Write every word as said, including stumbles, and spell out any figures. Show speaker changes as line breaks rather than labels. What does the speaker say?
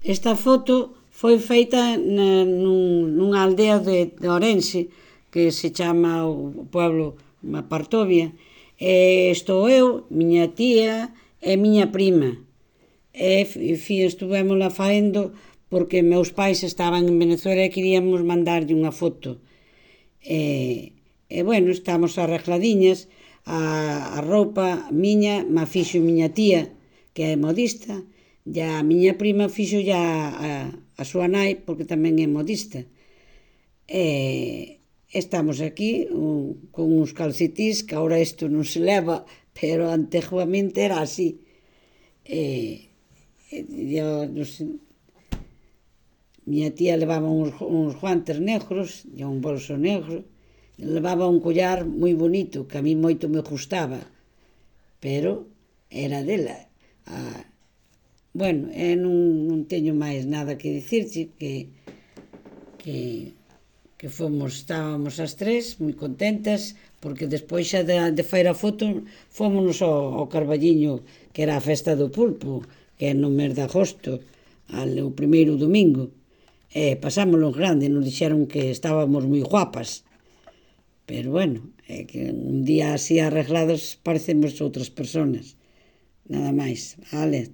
Esta foto foi feita na, nun, nunha aldea de, de Orense que se chama o pueblo Partovia. E estou eu, miña tía e miña prima. E, fi, estuvemos la faendo porque meus pais estaban en Venezuela e queríamos mandarlle unha foto. E, e bueno, estamos arregladiñas. A, a roupa miña ma fixo miña tía, que é modista, e a miña prima fixo ya a, a súa nai, porque tamén é modista. E estamos aquí un, con uns calcetís, que agora isto non se leva, pero anteguamente era así. E, e yo, non sei, miña tía levaba uns, uns guantes negros e un bolso negro, levaba un collar moi bonito, que a mí moito me gustaba, pero era dela. Ah, bueno, e non, non teño máis nada que dicirche, que, que, que fomos, estábamos as tres moi contentas, porque despois xa de, de faer a foto fomos ao, ao Carballiño, que era a festa do pulpo, que é no mes de agosto, al, o primeiro domingo, e pasámoslo grande, nos dixeron que estábamos moi guapas. Pero bueno, é que un día así arreglados parecemos outras personas. Nada máis. Vale.